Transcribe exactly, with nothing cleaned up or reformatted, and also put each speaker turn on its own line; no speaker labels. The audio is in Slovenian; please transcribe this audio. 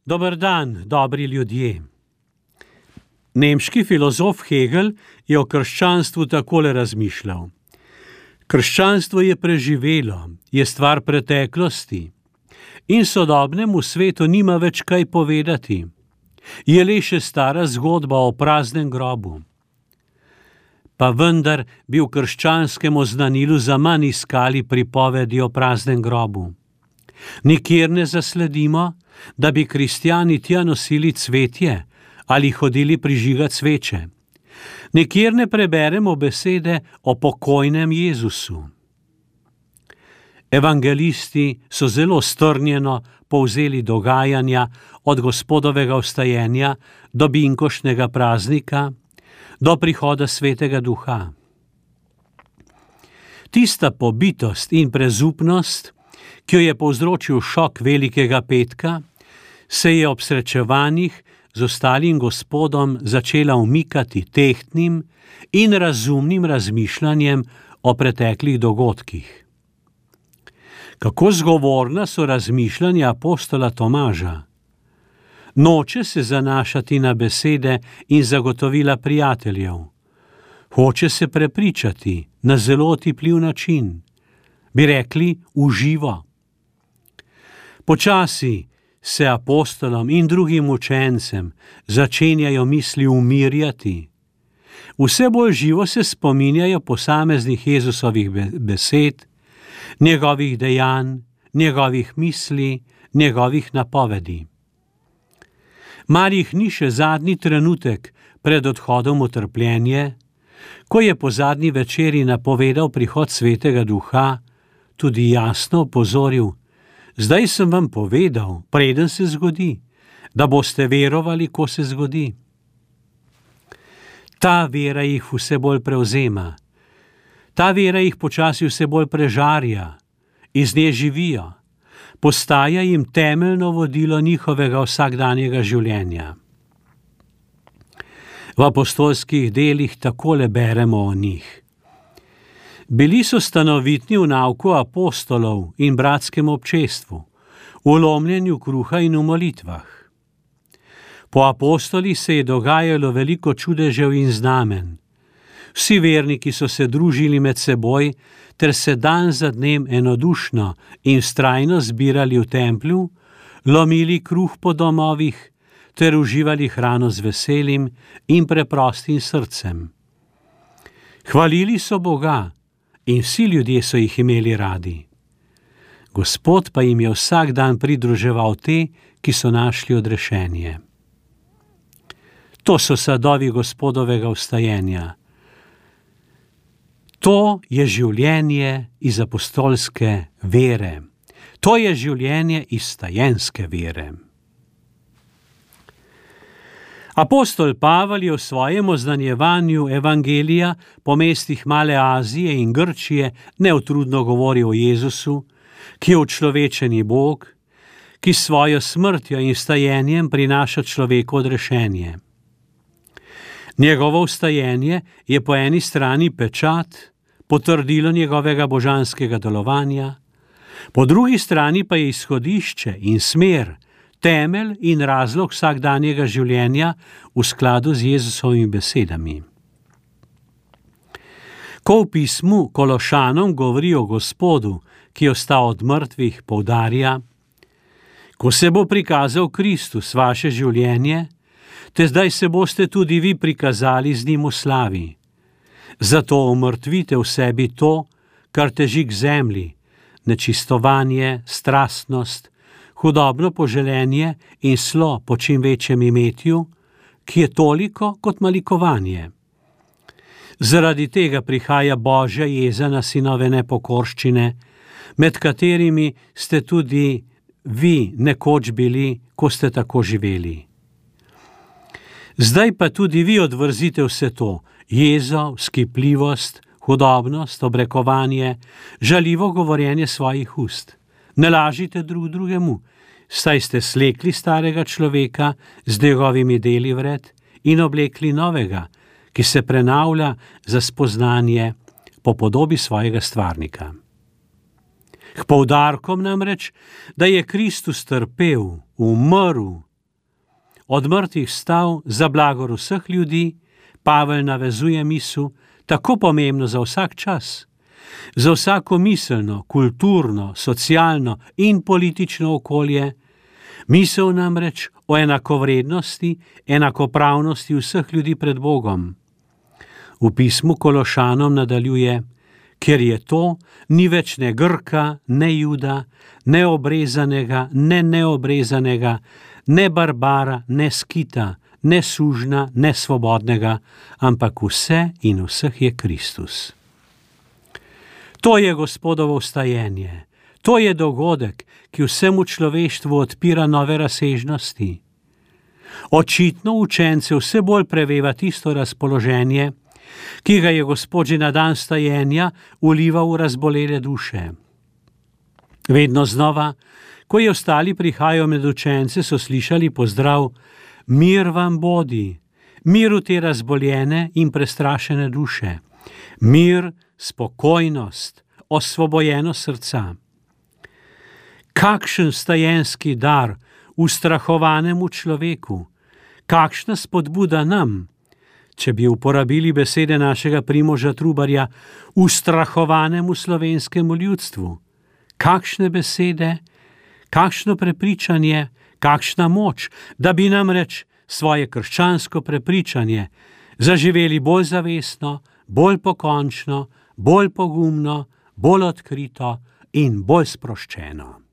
Dober dan, dobri ljudje. Nemški filozof Hegel je o krščanstvu takole razmišljal. Krščanstvo je preživelo, je stvar preteklosti in sodobnemu svetu nima več kaj povedati. Je le še stara zgodba o praznem grobu. Pa vendar bi v krščanskem oznanilu zaman iskali pripovedi o praznem grobu. Nikjer ne zasledimo, da bi kristjani tja nosili cvetje ali hodili prižigat sveče. Nikjer ne preberemo besede o pokojnem Jezusu. Evangelisti so zelo strnjeno povzeli dogajanja od Gospodovega vstajenja do binkoštnega praznika, do prihoda Svetega Duha. Tista pobitost in prezupnost, ki jo je povzročil šok Velikega petka, se je ob srečevanjih z ostalim Gospodom začela umikati tehtnim in razumnim razmišljanjem o preteklih dogodkih. Kako zgovorna so razmišljanja apostola Tomaža. Noče se zanašati na besede in zagotovila prijateljev. Hoče se prepričati na zelo otipljiv način. Bi rekli v živo. Počasi se apostolom in drugim učencem začenjajo misli umirjati. Vse bolj živo se spominjajo posameznih Jezusovih besed, njegovih dejanj, njegovih misli, njegovih napovedi. Mar jih ni še zadnji trenutek pred odhodom v trpljenje, ko je po zadnji večeri napovedal prihod Svetega Duha, tudi jasno opozoril: zdaj sem vam povedal, preden se zgodi, da boste verovali, ko se zgodi. Ta vera jih vse bolj prevzema. Ta vera jih počasi vse bolj prežarja, iz nje živijo, postaja jim temeljno vodilo njihovega vsakdanjega življenja. V apostolskih delih takole beremo o njih. Bili so stanovitni v nauku apostolov in bratskem občestvu, v lomljenju kruha in v molitvah. Po apostolih se je dogajalo veliko čudežev in znamen. Vsi verniki so se družili med seboj ter se dan za dnem enodušno in vztrajno zbirali v templju, lomili kruh po domovih ter uživali hrano z veselim in preprostim srcem. Hvalili so Boga in vsi ljudje so jih imeli radi. Gospod pa jim je vsak dan pridruževal te, ki so našli odrešenje. To so sadovi Gospodovega vstajenja. To je življenje iz apostolske vere. To je življenje iz vstajenske vere. Apostol Pavel je v svojem oznanjevanju evangelija po mestih Male Azije in Grčije neutrudno govori o Jezusu, ki je učlovečeni Bog, ki s svojo smrtjo in vstajenjem prinaša človeku odrešenje. Njegovo vstajenje je po eni strani pečat, potrdilo njegovega božanskega delovanja, po drugi strani pa je izhodišče in smer, temelj in razlog vsakdanjega življenja v skladu z Jezusovimi besedami. Ko v pismu Kološanom govori o Gospodu, ki je vstal od mrtvih, poudarja: ko se bo prikazal Kristus vaše življenje, te zdaj se boste tudi vi prikazali z njim v slavi. Zato umrtvite v sebi to, kar teži k zemlji, nečistovanje, strastnost, hudobno poželenje in slo po čim večjem imetju, ki je toliko kot malikovanje. Zaradi tega prihaja Božja jeza na sinove nepokorščine, med katerimi ste tudi vi nekoč bili, ko ste tako živeli. Zdaj pa tudi vi odvrzite vse to, jezo, vzkipljivost, hudobnost, obrekovanje, žaljivo govorjenje svojih ust. Ne lažite drug drugemu, saj ste slekli starega človeka z njegovimi deli vred in oblekli novega, ki se prenavlja za spoznanje po podobi svojega stvarnika. K poudarkom namreč, da je Kristus trpel, umrl od mrtvih vstal za blagor vseh ljudi, Pavel navezuje misel, tako pomembno za vsak čas, za vsako miselno, kulturno, socialno in politično okolje, misel namreč o enakovrednosti, enakopravnosti vseh ljudi pred Bogom. V pismu Kološanom nadaljuje: ker je to, ni več ne Grka, ne Juda, ne obrezanega, ne neobrezanega, ne Barbara, ne Skita, ne sužna, ne svobodnega, ampak vse in vseh je Kristus. To je Gospodovo vstajenje, to je dogodek, ki vsemu človeštvu odpira nove razsežnosti. Očitno učence vse bolj preveva tisto razpoloženje, ki ga je Gospod že na dan vstajenja vlival v razbolele duše. Vedno znova, ko je ostali prihajajo med učence, so slišali pozdrav: mir vam bodi, mir v te razboljene in prestrašene duše, mir, spokojnost, osvobojenost srca. Kakšen vstajenski dar ustrahovanemu človeku, kakšna spodbuda nam, če bi uporabili besede našega Primoža Trubarja, ustrahovanemu slovenskemu ljudstvu. Kakšne besede, kakšno prepričanje, kakšna moč, da bi namreč svoje krščansko prepričanje zaživeli bolj zavestno, bolj pokončno, bolj pogumno, bolj odkrito in bolj sproščeno.